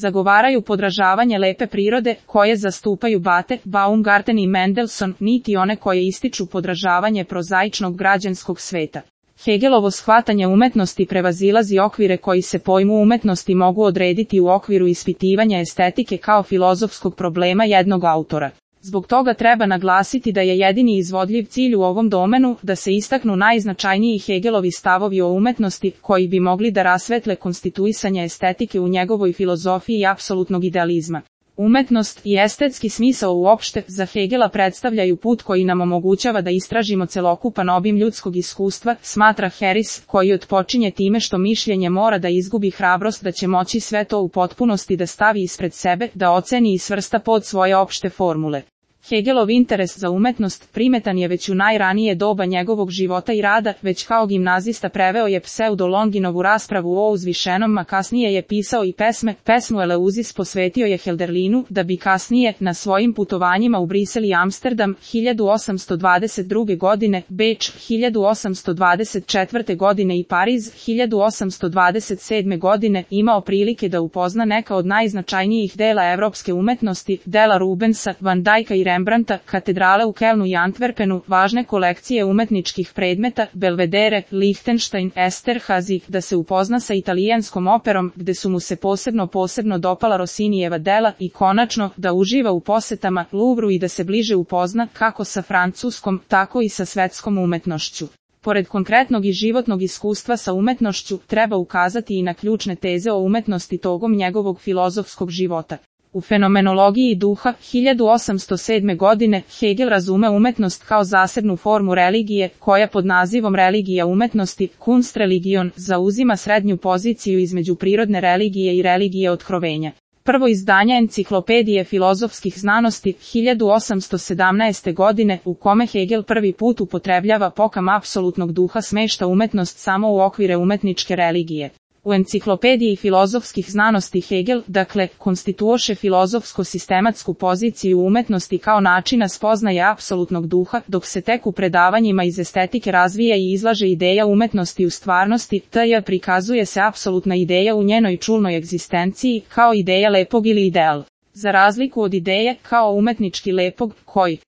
zagovaraju podražavanje lepe prirode, koje zastupaju Bate, Baumgarten i Mendelssohn, niti one koje ističu podražavanje prozaičnog građanskog sveta. Hegelovo shvatanje umetnosti prevazilazi okvire koji se pojmu umetnosti mogu odrediti u okviru ispitivanja estetike kao filozofskog problema jednog autora. Zbog toga treba naglasiti da je jedini izvodljiv cilj u ovom domenu da se istaknu najznačajniji Hegelovi stavovi o umetnosti koji bi mogli da rasvetle konstituisanje estetike u njegovoj filozofiji apsolutnog idealizma. Umetnost i estetski smisao uopšte za Hegela predstavljaju put koji nam omogućava da istražimo celokupan obim ljudskog iskustva, smatra Harris, koji otpočinje time što mišljenje mora da izgubi hrabrost da će moći sve to u potpunosti da stavi ispred sebe, da oceni i svrsta pod svoje opšte formule. Hegelov interes za umetnost primetan je već u najranije doba njegovog života i rada, već kao gimnazista preveo je pseudo-Longinovu raspravu o uzvišenom, a kasnije je pisao i pesmu Eleuzis posvetio je Hölderlinu, da bi kasnije, na svojim putovanjima u Brisel i Amsterdam, 1822. godine, Beč, 1824. godine i Pariz, 1827. godine, imao prilike da upozna neka od najznačajnijih dela evropske umetnosti, dela Rubensa, Van Dijka i Rembrandta, katedrale u Kelnu i Antwerpenu, važne kolekcije umetničkih predmeta, Belvedere, Lichtenstein, Esterhazy, da se upozna sa italijanskom operom, gde su mu se posebno dopala Rossinijeva dela i konačno, da uživa u posetama Louvru i da se bliže upozna kako sa francuskom, tako i sa svetskom umetnošću. Pored konkretnog i životnog iskustva sa umetnošću, treba ukazati i na ključne teze o umetnosti togom njegovog filozofskog života. U Fenomenologiji duha, 1807. godine, Hegel razume umetnost kao zasebnu formu religije, koja pod nazivom religija umetnosti, Kunstreligion, zauzima srednju poziciju između prirodne religije i religije otkrovenja. Prvo izdanje Enciklopedije filozofskih znanosti, 1817. godine, u kome Hegel prvi put upotrebljava pojam apsolutnog duha, smešta umetnost samo u okvire umetničke religije. U Enciklopediji filozofskih znanosti Hegel, dakle, konstituoše filozofsko-sistematsku poziciju umetnosti kao načina spoznaje apsolutnog duha, dok se tek u predavanjima iz estetike razvija i izlaže ideja umetnosti u stvarnosti, t.j. prikazuje se apsolutna ideja u njenoj čulnoj egzistenciji, kao ideja lepog ili ideal. Za razliku od ideje, kao umetnički lepog, koji